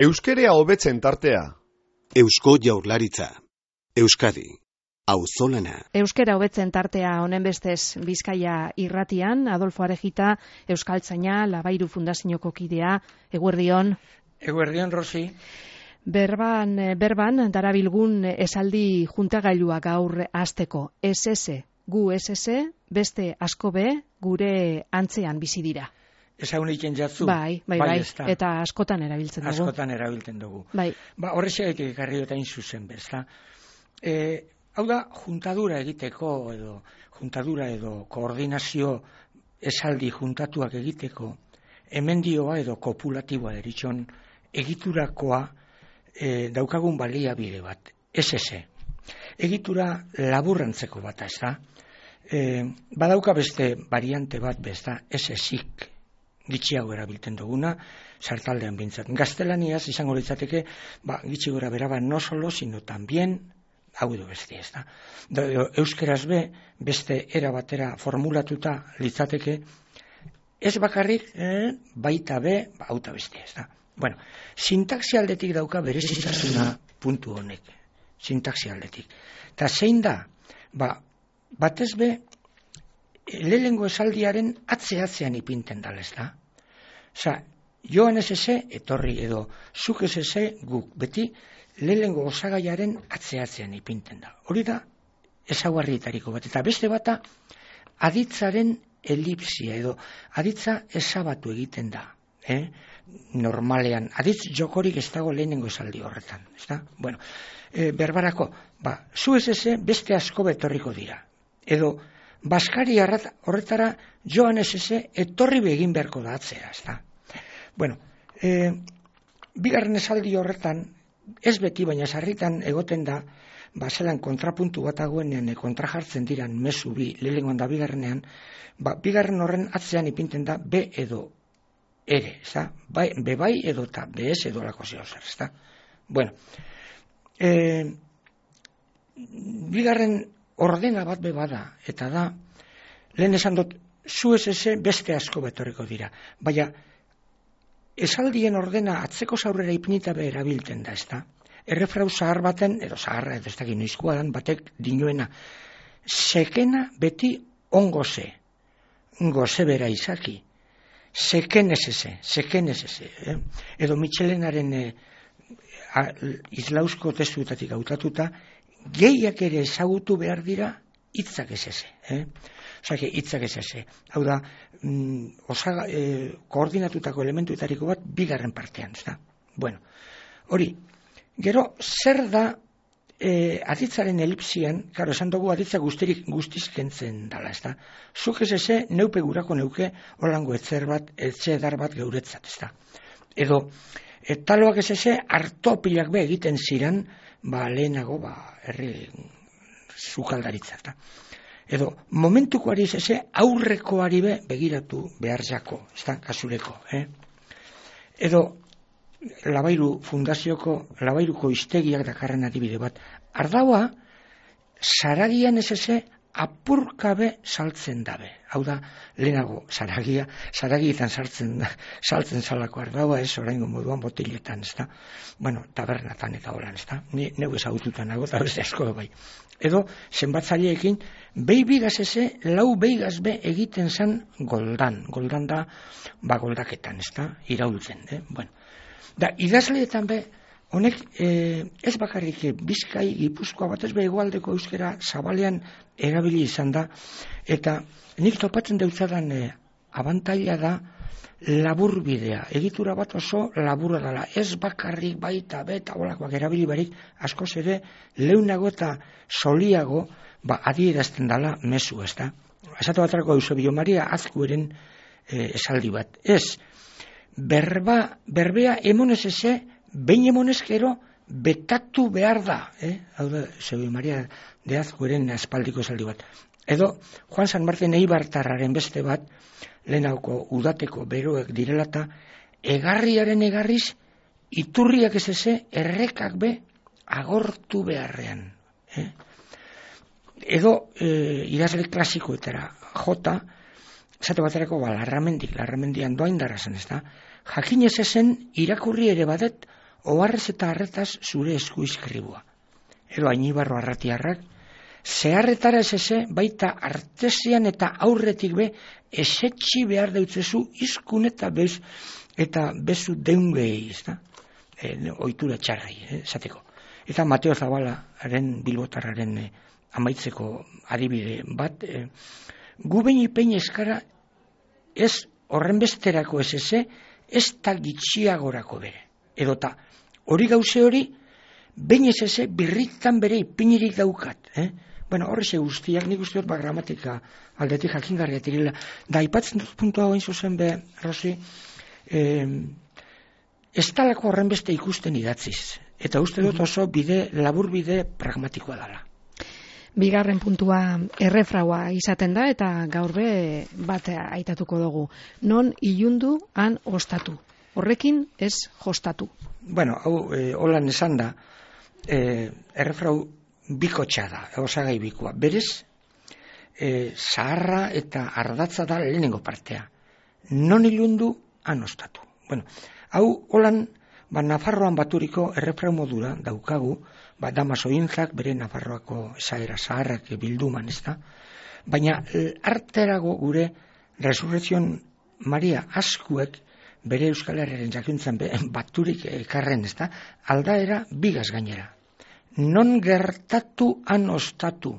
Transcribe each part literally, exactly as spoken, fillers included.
Euskerea hobetzen tartea. Eusko Jaurlaritza. Euskadi. Auzolana. Euskera hobetzen tartea honen bestez Bizkaia irratian, Adolfo Arejita, Euskaltzaina, Labairu Fundazioko kidea, eguerdion. Eguerdion, Rosi. Berban, berban, darabilgun esaldi juntagailua gaur hasteko. S S, gu S S, beste asko be, gure antzean bizi dira. Eza uniken jatzu? Bai, bai, bai, bai eta askotan erabiltzen dugu. Askotan erabiltzen dugu. Bai. Ba, horrexeak ekarri eta inzuzen bezala. E, hau da, juntadura egiteko, edo juntadura edo koordinazio esaldi juntatuak egiteko, emendioa edo kopulatiboa deritxon egiturakoa e, daukagun baliabide bat. S S. Egitura laburrantzeko bat, ez da? E, badauka beste variante bat, bezda, S S-ik. Gitxiago erabiltzen duguna, sartaldean bintzat. Gaztelaniaz izango litzateke, ba, gitxi gora beraba no solo, sino también, hau edo beste, ez da. Da, euskeraz be, beste era batera formulatuta litzateke, ez bakarrik, eh, baita be, ba, auta beste, ez da. Bueno, sintaxi aldetik dauka berezitasuna puntu honek, sintaxi aldetik. Eta zein da, ba, batez be, lehengo esaldiaren atze-atzean ipinten dal, ez da? Osa, joan S S, etorri edo, zuk S S, guk, beti, lehengo osagaiaren atze-atzean ipinten da. Hori da, ezaugarrietariko bat. Eta beste bata, aditzaren elipsia edo, aditza ezabatu egiten da. Eh? Normalean, aditz jokorik ez dago lehenengo esaldi horretan. Ez da? Bueno, e, berbarako, ba, zu S S beste asko betorriko dira. Edo, Baskari horretara joan S S etorri begin beharko da atzera, ez da. Bueno, e, bigarren esaldi horretan, ez beti baina sarritan egoten da, ba, zelan kontrapuntu bat aguenean, kontra jartzen diran mezu bi, lehengoan da bigarrenean, ba, bigarren horren atzean ipinten da B edo ere, ez da. Bai, be bai edo eta B ez edo lako zeo zer, ez da. Bueno, e, bigarren ordena bat be bada, eta da, lehen esan dut, zu S S beste asko betorriko dira. Baina, esaldien ordena atzeko zaurrera ipinita be erabiltzen da, ez da? Errefrau zahar baten, edo zaharra, edo ez da ginoizkoa dan, batek dinuena, sekena beti ongo ze, goze bera izaki, seken S S, seken S S, eh? Edo Michelenaren eh, izlauzko testuetatik hautatuta, gehiak ere ezagutu behar dira hitzak S S. Eh? Osake, hitzak S S. Hau da, mm, osaga, eh, koordinatutako elementuetariko bat bigarren partean. Ez da? Bueno, hori, gero, zer da eh, aditzaren elipsian, karo, esan dugu aditza guztirik guztizkentzen dala, ez da? Zuk S S neupe gurako neuke holango etzer bat, etxedar bat geuretzat, ez da? Edo, etaloak S S hartopilak be egiten ziren, ba, lehenago, ba, herri zukaldaritza, eta. Edo, momentukoari S S aurrekoari be begiratu behar jako, ez da, kasureko, eh? Edo, Labairu Fundazioko, Labairuko iztegiak dakarren adibide bat, ardaua, zaragian S S apurkabe saltzen dabe. Hau da, lehenago, zaragia, zaragietan saltzen, saltzen salako ardaua, ez oraingo moduan botiletan, ez da. Bueno, tabernatan eta holan, ez da. Ni neu ezagututan nago, eta beste asko bai. Edo, zenbatzaileekin, behi bigaz eze, lau beigaz be egiten zen goldan. Goldan da, ba goldaketan, ez da, iraultzen, eh? Bueno, da, idazleetan be, honek eh, ez bakarrik Bizkai, Gipuzkoa batez be hegoaldeko euskera zabalean erabili izan da, eta nik topatzen deutzadan eh, abantaila da laburbidea, egitura bat oso laburra dela, ez bakarrik baita beta olakoak erabili barik, askoz ere leunago eta soliago ba, adierazten dela mezu, ez da. Esatu batrako Eusebio Maria Azkueren eh, esaldi bat, ez, berba, berbea emonez eze, behin emonezkero betatu behar da, eh? Hau da, Eusebio Maria de Azkueren aspaldiko esaldi bat. Edo, Juan San Martin Eibartarraren beste bat, lehenauko udateko beroek direlata, egarriaren egarriz, iturriak ez eze, errekak be, agortu beharrean. Eh? Edo, eh, idazle klasikoetara, jota, esate baterako, ba, larramendik, larramendian doain darazen, ez da, jakinez ezen, irakurri ere badet, oharrez eta harretaz zure esku iskribua. Edo Ainibarro Arratiarrak, zeharretara ez eze, baita artesian eta aurretik be, esetxi behar deutzezu izkun eta bez, eta bezu deungei, ez da? E, ohitura txarrai, eh, esateko. Eta Mateo Zabalaren, bilbotarraren eh, amaitzeko adibide bat, eh, gu behin ipein eskara ez horrenbesterako ez eze, ez da gitxiagorako bere. Edota, hori gauze hori, behin ez eze, birritan bere ipinirik daukat. Eh? Bueno, horreze guztiak, nik uste dut ba gramatika aldetik jakingarriak direla. Da, ipatzen dut puntua goin zuzen be, Rosi, eh, ez talako horrenbeste ikusten idatziz. Eta uste dut oso bide, labur bide pragmatikoa dela. Bigarren puntua errefraua izaten da eta gaur be bat aitatuko dugu. Non ilundu han ostatu. Horrekin ez jostatu. Bueno, hau e, holan esan da, e, errefrau bikotxa da, osagai bikoa. Berez, e, zaharra eta ardatza da lehenengo partea. Non ilundu han ostatu. Bueno, hau holan, ba, Nafarroan baturiko errefrau modura daukagu, ba, Damasointzak bere Nafarroako esaera zaharrak bilduman, ez da? Baina arterago gure Resurrezion Maria askuek bere Euskal Herriaren jakuntzan baturik ekarren, ez da? Aldaera bigaz gainera. Non gertatu han ostatu.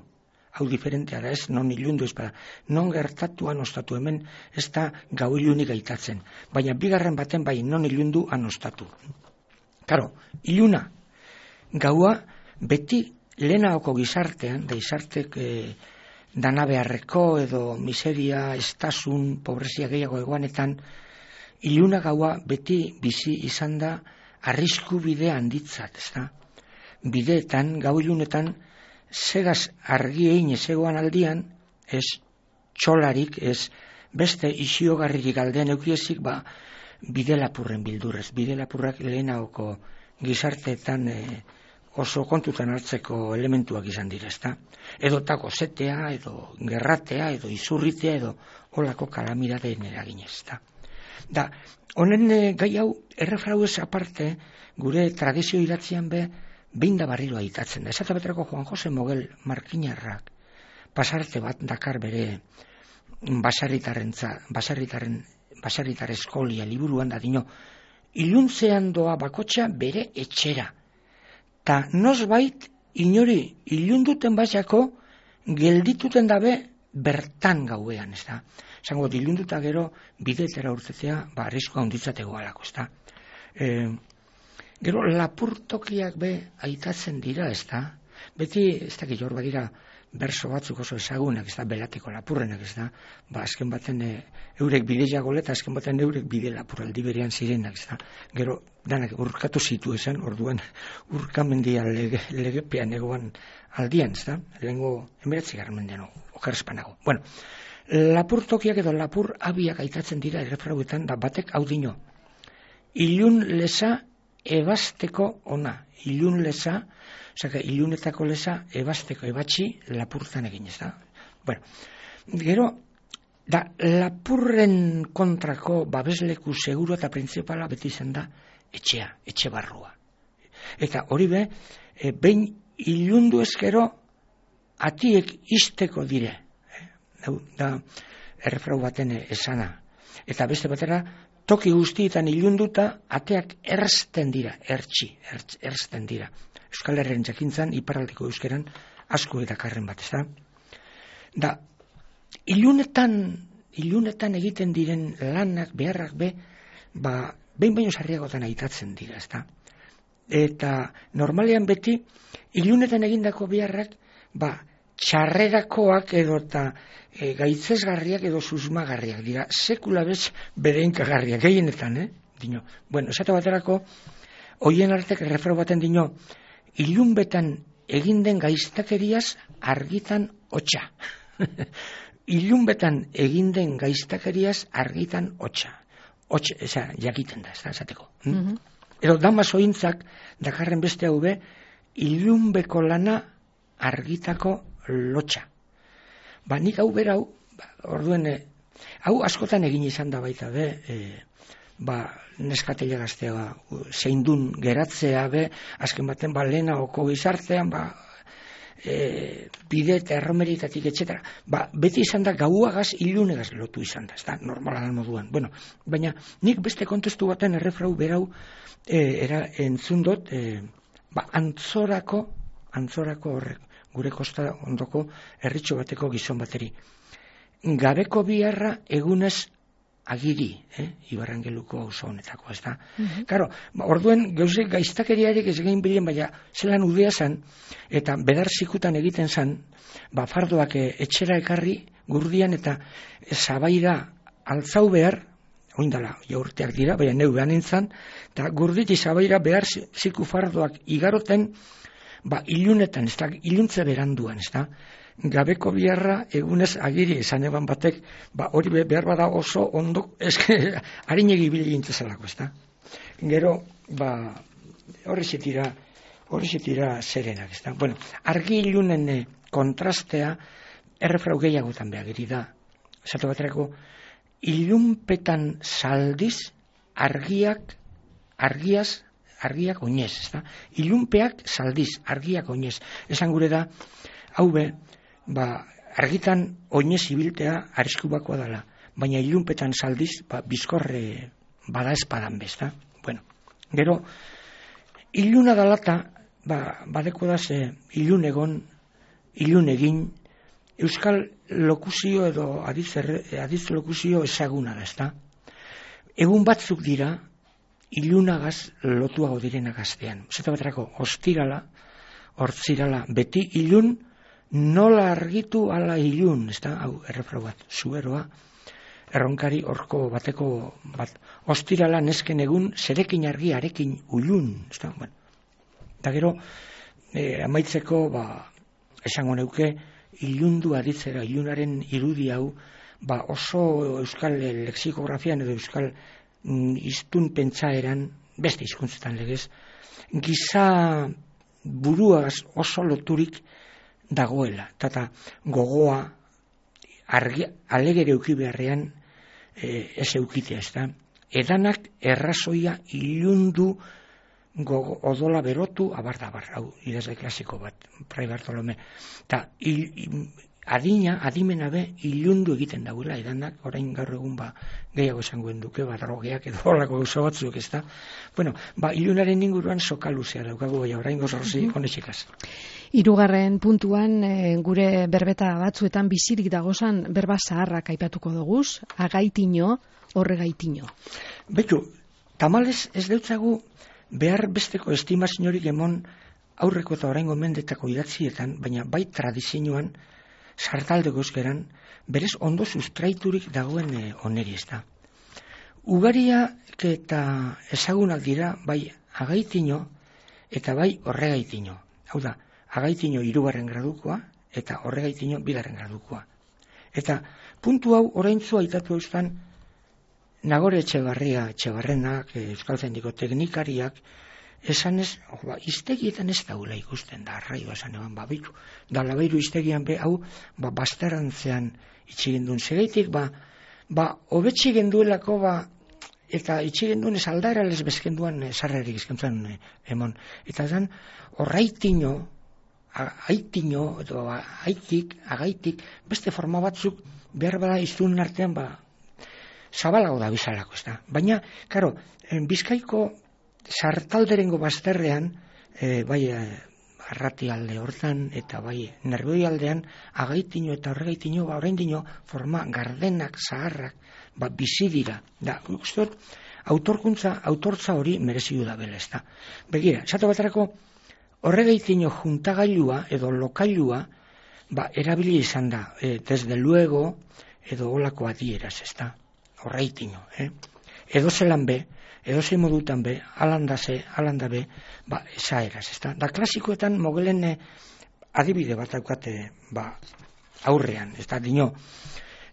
Hau diferentea da, ez non ilundu ez bada. Non gertatu han ostatu, hemen ez da gau ilunik aitatzen. Baina bigarren baten bai non ilundu han ostatu. Karo, iluna, gaua beti lehenaoko gizartean, da gizartek e, dana beharreko edo miseria, estasun, pobrezia gehiago egoanetan, iluna gaua beti bizi izan da arrisku bide handitzat, ez da? Bideetan, gau ilunetan, segaz argi egin ezegoan aldian, ez txolarik, ez beste isiogarririk aldean eukiezik, ba, bide lapurren bildurrez. Bide lapurrak lehenaoko gizarteetan e, oso kontutan hartzeko elementuak izan dira, ezta? Edo tako zetea, edo gerratea, edo izurritea, edo holako kalamidadeen eraginez, ezta? Da, honen e, gai hau, errefrauez aparte, gure tradizio idatzian be, behin da barriro aitatzen da. Esata beterako Juan Jose Mogel Markinarrak pasarte bat dakar bere basarritaren, basarritaren, basarritar eskolia liburuan da dino, iluntzean doa bakotxa bere etxera. Ta nosbait inori ilunduten basako geldituten dabe bertan gauean, ez da? Zango, ilunduta gero bidetera urtetea, ba, arriskoa hunditzatego alako, ez da? Eh, Gero lapurtokiak be aitatzen dira, ez da? Beti, ez da, gilor badira berso batzuk oso ezagunak, ez da, belateko lapurrenak, ez da? Ba, azken baten e, eurek bide jagoleta, azken baten eurek bide lapuraldi berean zirenak, ez da? Gero, danak urkatu zitu esan, orduan urkamendia lege, legepean egoan aldian, ez da? Lehengo emeretzi garmendean, okerrespanago. Bueno, lapurtokiak edo lapur abiak aitatzen dira errefrauetan, da batek hau dino. Ilun leza ebasteko ona, ilun leza, osea, ilunetako leza ebasteko ebatxi lapurtan egin, ez da? Bueno, gero, da, lapurren kontrako babesleku seguru eta printzipala beti izan da etxea, etxe barrua. Eta hori be, e, behin ilundu ezkero atiek isteko dire. E, da, errefrau baten esana. Eta beste batera, toki guztietan ilunduta ateak erzten dira, ertsi, ertz, erzten dira. Euskal Herriaren jakintzan, iparraldeko euskeran, asko eta karren bat, ez da? Da, ilunetan, ilunetan egiten diren lanak, beharrak be, ba, behin baino sarriagotan aitatzen dira, ez da? Eta normalean beti, ilunetan egindako beharrak, ba, txarrerakoak edo eta e, gaitzesgarriak edo susmagarriak dira, sekula bez bedeinkagarriak, gehienetan, eh? Dino. Bueno, esate baterako, hoien artek errefrau baten dino, ilunbetan egin den gaiztakeriaz argitan hotxa. Ilunbetan egin den gaiztakeriaz argitan hotxa. Hotxa, eza, jakiten da, ez da, esateko. Hm? Mm-hmm. Edo Damasointzak dakarren beste hau be, ilunbeko lana argitako lotxa. Ba, nik hau berau, ba, orduen, e, hau askotan egin izan da baita be, e, ba, neskatele gaztea zeindun geratzea be, azken baten ba, lehena oko gizartean, ba, e, bide eta erromeritatik, etxetera. Ba, beti izan da gauagaz, ilunegaz lotu izan da, ez da, normala da moduan. Bueno, baina nik beste kontestu baten errefrau berau e, era, entzun dut, e, ba, antzorako, antzorako horrek, gure kosta ondoko herritxo bateko gizon bateri. Gabeko biharra egunez agiri, eh? Ibarrangeluko auzo honetako, ez da? Mm-hmm. Karo, ba, orduen gauze gaiztakeriarik ez gain bilen, baina zelan udea zan, eta bedar zikutan egiten zan, ba, fardoak etxera ekarri gurdian eta zabaira altzau behar, oindala, jaurteak dira, baina neu behan entzan, eta gurditi zabaira behar ziku fardoak igaroten, ba, ilunetan, ez da, iluntze beranduan, ez da? Gabeko biharra egunez agiri esan eban batek, ba, hori behar bada oso ondo, eske, harinegi bile gintzazalako, ez da? Gero, ba, horri zitira, horri zitira zerenak, ez da? Bueno, argi ilunen kontrastea, errefrau gehiagotan behagiri da. Zato baterako, ilunpetan saldiz, argiak, argiaz, argiak oinez, ez da? Ilunpeak saldiz, argiak oinez. Esan gure da, hau be, ba, argitan oinez ibiltea arriskubakoa dela, baina ilunpetan saldiz, ba, bizkorre bada espadan bezta. Bueno, gero, iluna dalata, ba, badeko da ze, ilun egon, ilun egin, euskal lokuzio edo adiz, adiz lokuzio ezaguna da, ezta? Egun batzuk dira, ilunagaz lotuago direnak gaztean. Zeta baterako, ostirala, hortzirala, beti ilun, nola argitu ala ilun, ez da, hau, errefrau bat, zuberoa, erronkari horko bateko bat, ostirala nesken egun, zerekin argi arekin ulun, ez da, bueno. Da gero, e, amaitzeko, ba, esango neuke, ilundu aditzera, ilunaren irudi hau, ba, oso euskal lexikografian edo euskal mm, iztun pentsaeran, beste hizkuntzetan legez, giza buruaz oso loturik dagoela, eta gogoa argi, alegere euki beharrean e, ez eukitea, ez da. Edanak errazoia ilundu gogo, odola berotu, abarda, abarda, hau, idazle klasiko bat, Fray Bartolome. Eta adina, adimena be, ilundu egiten dagoela, edanak, orain gaur egun ba, gehiago esangoen duke, ba, drogeak edo horrako gauza batzuk, ez da. Bueno, ba, ilunaren inguruan sokaluzea daukagu, bai, orain gozorzi, honetxikaz. Hirugarren puntuan e, gure berbeta batzuetan bizirik dagozan berba zaharrak aipatuko doguz, agaitino, horregaitino. Betu, tamalez ez deutzagu behar besteko estimaziorik emon aurreko eta oraingo mendetako idatzietan, baina bai tradizioan, sartaldeko euskeran, berez ondo sustraiturik dagoen e, oneri ez da. Ugariak eta ezagunak dira bai agaitino eta bai horregaitino. Hau da, agaitino hirugarren gradukoa eta horregaitino bigarren gradukoa. Eta puntu hau oraintzu aitatu eustan Nagore Etxebarria, Etxebarrenak, Euskaltzaindiko teknikariak, esanez, oh, ba, iztegietan ez daula ikusten da, arraioa esan eban, ba, bitu, da labairu iztegian be, hau, ba, bastarantzean itxigendun segeitik, ba, ba, hobetxe genduelako, ba, eta itxigendun ez aldaera les bezkenduan sarrerik izkentzen emon. Eta zan, horraitino, aitino, edo aitik, agaitik, beste forma batzuk, behar bada iztun artean, ba, zabalago da bizalako, ez da. Baina, karo, Bizkaiko sartalderengo bazterrean, e, bai, arrati alde hortan, eta bai, nerboi aldean, agaitino eta horregaitino, ba, oraindino, forma gardenak, zaharrak, ba, bizi dira. Da, guztot, autorkuntza, autortza hori merezidu da bela, ez da. Begira, esatu baterako, horregaitino juntagailua, edo lokailua, ba, erabili izan da, e, desde luego, edo olako adieraz, ez da. Horreitino, eh? Edo zelan be, edo ze modutan be, alanda ze, alanda be, ba, esaeraz, ez da. Da, klasikoetan mogelen eh, adibide bat daukate, ba, aurrean, ez da, dino,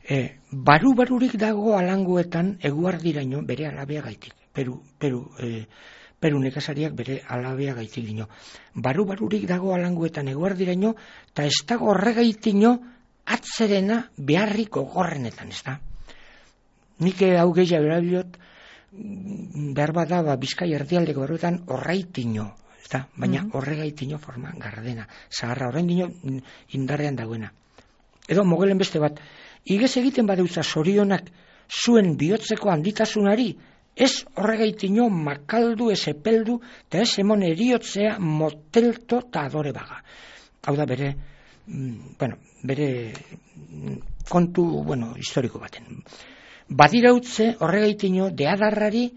eh, baru-barurik dago alangoetan eguardiraino bere alabea gaitik. Peru, peru, eh, peru nekazariak bere alabea gaitik dino. Baru-barurik dago alangoetan eguardiraino, eta ez dago horregaitino atzerena beharriko gorrenetan, ez da. Nik hau gehiago erabilot, behar bada, ba, Bizkai erdialdeko berbetan horraitino, eta, baina mm-hmm. horregaitino forma gardena, zaharra horraitino indarrean dagoena. Edo mogelen beste bat, igez egiten badeutza zorionak zuen bihotzeko handitasunari, ez horregaitino makaldu, ez epeldu, eta ez emon eriotzea motelto eta adore baga. Hau da bere, bueno, bere kontu, bueno, historiko baten. Badirautze horregaitino deadarrari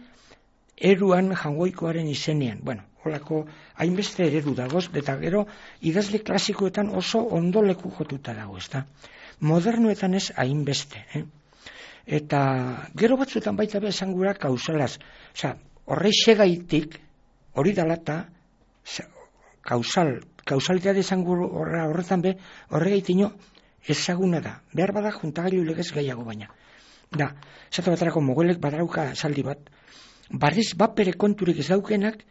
eruan jangoikoaren izenean. Bueno, holako hainbeste eredu dagoz, eta gero idazle klasikoetan oso ondo leku jotuta dago, ezta. Modernoetan ez hainbeste, eh? Eta gero batzuetan baita be esan gura kausalaz. Osea, horrei segaitik, hori dalata, kausal, kausalitate esan gura horretan be, horregaitino ezaguna da. Behar bada juntagailu legez gehiago baina. Da, esate baterako mogelek badarauka esaldi bat, barriz bapere konturik ez daukenak,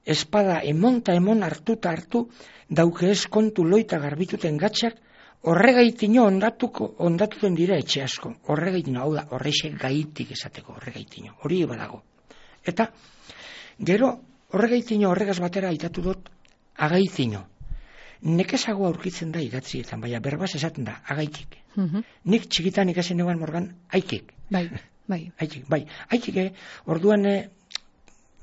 espada emonta emon hartuta hartu, dauke ez kontu loita garbituten gatxak, horregaitino ondatuko, ondatuten dira etxe asko. Horregaitino, hau da, horreixe gaitik esateko, horregaitino, hori badago. Eta, gero, horregaitino horregaz batera aitatu dut, agaitino. Nekezago aurkitzen da idatzietan, baina berbaz esaten da, agaitik. Mm-hmm. Nik txikitan ikasen eguan morgan, aikik. Bai, bai. Aikik, bai. Aikik, eh, orduan, eh,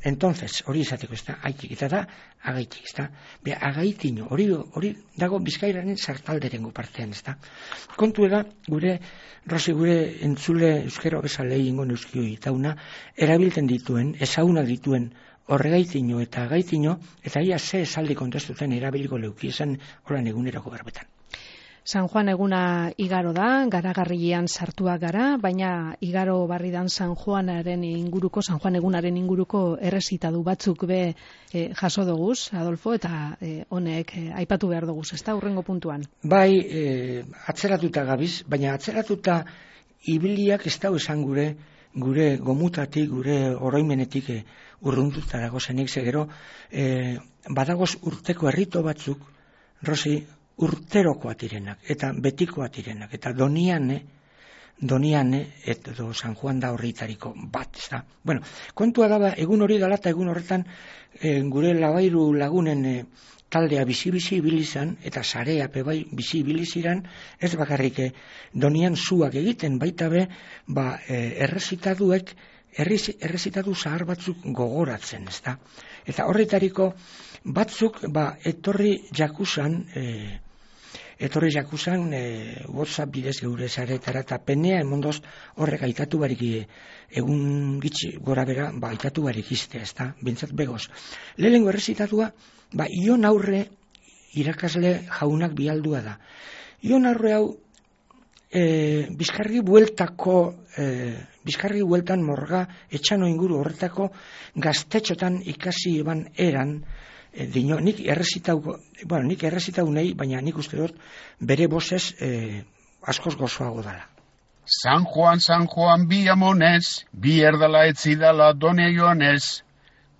entonces, hori esateko, ez da, aikik, eta da, agaitik, ez da. Be, agaitino, hori, hori dago Bizkairaren sartalderengo partean, ez da. Kontu eda, gure, Rosi, gure entzule euskero bezale ingo neuskioi tauna, erabilten dituen, ezauna dituen, horregaitino eta agaitino, eta ia ze esaldi kontestuten erabiliko leuki esan horan egunerako berbetan. San Juan eguna igaro da, garagarrian sartuak gara, baina igaro barridan San Juanaren inguruko, San Juan egunaren inguruko errezitadu batzuk be e, jaso doguz, Adolfo, eta e, honek e, aipatu behar doguz, ez da, hurrengo puntuan? Bai, e, atzeratuta gabiz, baina atzeratuta ibiliak ez dau esan gure, gure gomutatik, gure oroimenetik e, urruntuta dago zenik, zegero, e, badagoz urteko herrito batzuk, Rosi, urterokoa direnak, eta betikoa direnak, eta doniane, doniane, edo San Juan da horritariko bat, ez da. Bueno, kontua daba, egun hori dala eta egun horretan e, gure labairu lagunen e, taldea bizi-bizi ibilizan, eta sarea pebai bizi ibiliziran, ez bakarrik e, donian zuak egiten, baita be, ba, e, errezitaduek, errezitatu zahar batzuk gogoratzen, ez da. Eta horretariko batzuk, ba, etorri jakusan, e, etorri jakusan, e, WhatsApp bidez geure zaretara, eta penea emondoz horrek aitatu barik egun gitxi gora bera, ba, aitatu barik izte, ez da, bintzat begoz. Lehenengo errezitatua, ba, Ion Aurre irakasle jaunak bialdua da. Ion Aurre hau, e, Bizkarri bueltako, e, Bizkarri bueltan morga etxano inguru horretako gaztetxotan ikasi eban eran, e, dino, nik errezitau, bueno, nik errezitau nahi, baina nik uste dut bere bozez e, askoz gozoago dala. San Juan, San Juan, bi amonez, bi erdala etzidala done joanez,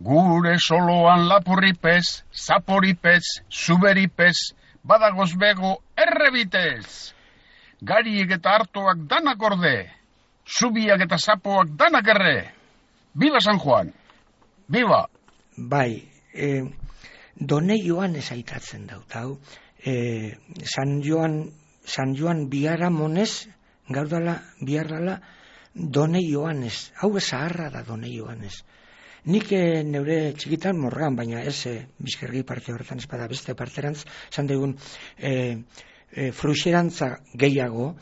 gure soloan lapurripez, zaporipez, zuberipez, badagoz bego errebitez. Gariek eta hartoak danak orde, zubiak eta zapoak danak erre. Biba San Juan, biba! Bai, e, done joan ez aitatzen daut, hau. E, San Joan, San Joan biharamonez, gaur dala, bihar dala, done joanez. Hau zaharra da done joanez. Nik e, neure txikitan morgan, baina ez e, Bizkergi parte horretan espada beste parterantz, zan degun e, e, fruxerantza gehiago,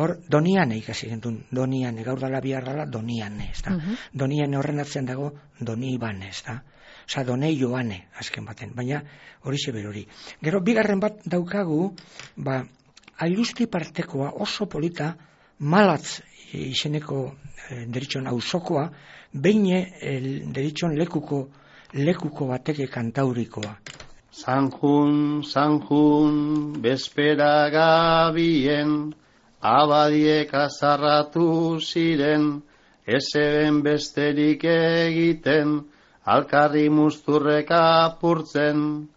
hor doniane ikasi gentun, doniane, gaur dala bihar dala doniane, ez da. Uh-huh. Doniane horren atzean dago doni ibane, ez da. Osa, donei joane, azken baten, baina hori zeber hori. Gero, bigarren bat daukagu, ba, ailusti partekoa oso polita, malatz izeneko e, deritxon auzokoa, beine e, deritxon lekuko, lekuko bateke kantaurikoa. San Jun, San Jun, bespera gabien, abadiek azarratu ziren, ezeben besterik egiten, alkarri musturrek apurtzen.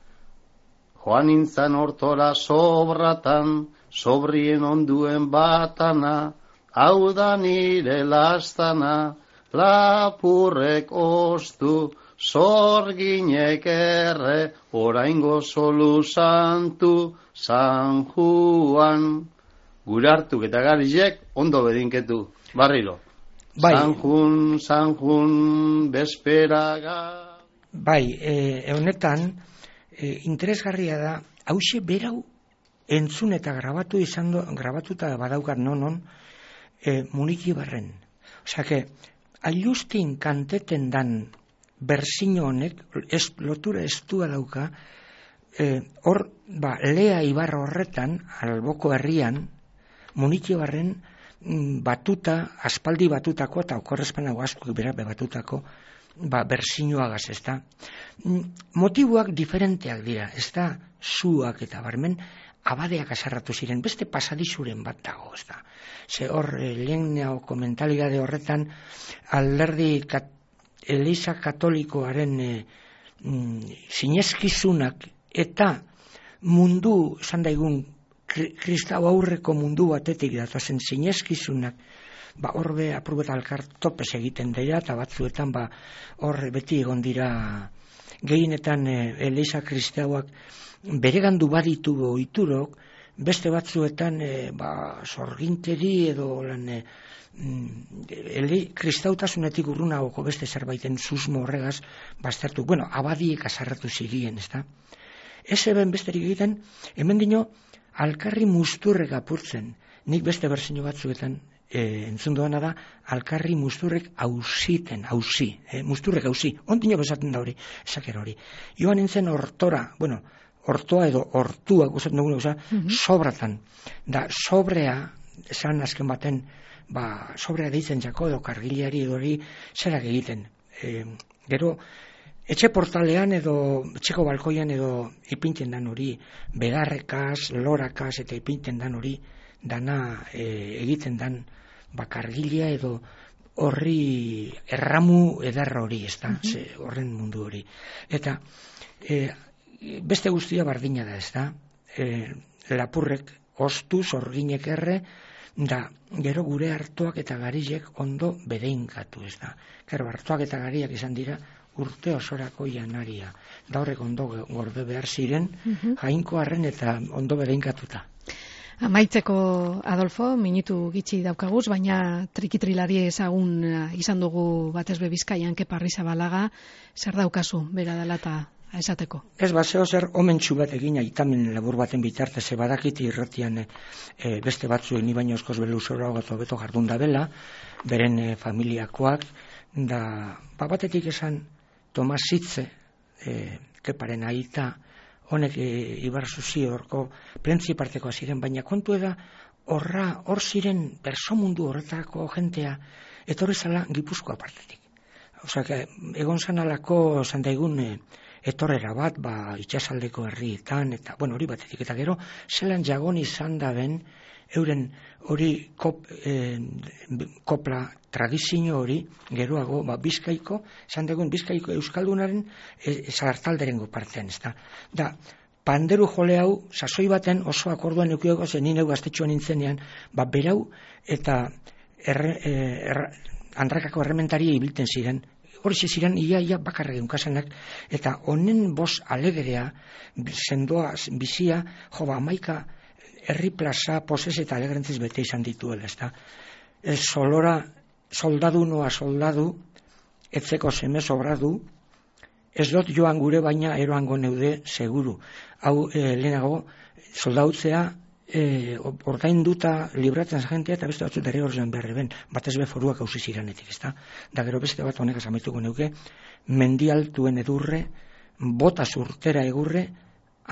Joan nintzen hortora sobratan, sobrien onduen batana, hau da nire lastana, lapurrek ostu, zorginek erre, oraingo solu santu, San Juan. Gure hartuk eta garizek ondo bedinketu, barriro. Bai. San Jun, San Jun, besperaga. Bai, e, honetan, e, interesgarria da, hause berau entzun eta grabatu izan do, grabatuta badaukat nonon, e, Muniki Barren. Osea, que, ailustin kanteten dan berzino honek, ez, lotura estua dauka, e, hor, ba, Lea Ibarra horretan, alboko herrian, Muniki Barren batuta, aspaldi batutako, eta okorrezpanago asko berabe batutako, ba, berzinoagaz, ez da. Motiboak diferenteak dira, ez da, zuak eta barmen, abadeak asarratu ziren, beste pasadizuren bat dago, ez da. Ze hor, lehenao komentalidade horretan, alderdi kat, Eliza Katolikoaren e, mm, sineskizunak eta mundu, esan daigun, kristau aurreko mundu batetik datozen sineskizunak, ba, horbe aprubeta alkar topes egiten dira, eta batzuetan ba, hor beti egon dira gehienetan e, Eliza kristauak beregandu baditu ohiturok, beste batzuetan e, ba, sorginteri edo lan e, Eli, kristautasunetik urrunagoko beste zerbaiten susmo horregaz baztertu, bueno, abadiek asarratu zirien, ez da? Ez eben besterik egiten, hemen dino, alkarri musturrek apurtzen, nik beste berzino batzuetan e, entzun doana da, alkarri musturrek hausiten, hausi, e, musturrek hausi, ondino bezaten da hori, esaker hori. Joan nintzen hortora, bueno, hortoa edo hortua, gustatzen dugu, oza, mm-hmm. sobratan, da sobrea, esan azken baten, ba, sobrea deitzen jako edo kargiliari edo hori zerak egiten. E, gero, etxe portalean edo etxeko balkoian edo ipinten dan hori, begarrekaz, lorakaz eta ipinten dan hori, dana e, egiten dan ba, kargilia edo horri erramu ederra hori, ez da, mm-hmm. horren mundu hori. Eta e, beste guztia bardina da, ez da, e, lapurrek ostu, zorginek erre, da, gero gure hartuak eta garizek ondo bedeinkatu, ez da. Gero, hartuak eta gariak izan dira urte osorako janaria. Da horrek ondo gorde behar ziren, uh-huh. jainko harren eta ondo bedeinkatuta. Amaitzeko, Adolfo, minutu gitxi daukaguz, baina trikitrilari ezagun izan dugu batezbe Bizkaian Kepa Arrizabalaga, zer daukazu, bera dela eta esateko. Ez baseo zer omentxu bat egin aitamen labur baten bitartez, ze badakiti irratian e, beste batzu ni baino oskoz beluzora gato beto jardun da bela, beren e, familiakoak, da ba, batetik esan Tomas Zitze, e, Keparen aita, honek e, Ibar Zuzi horko prentzipartekoa ziren, baina kontu eda horra, hor ziren persomundu horretako jentea, etorri zala Gipuzkoa partetik. Osea, egon zanalako zandaigun e, etorrera bat, ba, itxasaldeko herrietan, eta, bueno, hori batetik, eta gero, zelan jagon izan da ben, euren hori kop, eh, kopla tradizio hori, geroago, ba, Bizkaiko, esan dugun Bizkaiko Euskaldunaren e, zartalderengo partean, ez da. Da, panderu jole hau, sasoi baten oso akorduan eukioko zen, nire gaztetxoan nintzenean, ba, berau, eta erre, er, andrakako errementaria ibilten ziren, hori ziren ia ia bakarra geunkasenak, eta honen bos alegerea, sendoa bizia, jo ba, amaika herri plaza, poses eta alegrentziz bete izan dituela, ez da. Ez solora, soldadu noa soldadu, etzeko seme sobradu, ez dut joan gure baina eroango neude seguru. Hau e, lehenago, soldautzea, E, ordainduta libratzen jentea eta beste batzut ere horrean behar ben, batez be foruak hausi ziranetik, ezta? Da gero beste bat honek amaituko neuke, mendialtuen edurre, bota zurtera egurre,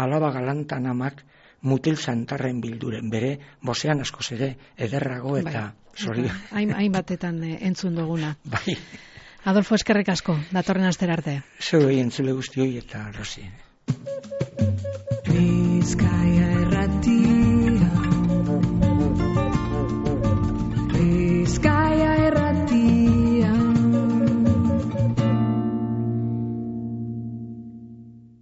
alaba galantan amak mutil zantarren bilduren, bere bosean askoz ere ederrago eta zori. Bai, hain batetan entzun duguna. Bai. Adolfo, eskerrik asko, datorren astera arte. Zeu egin zule guztioi eta Rosi. Bizkaia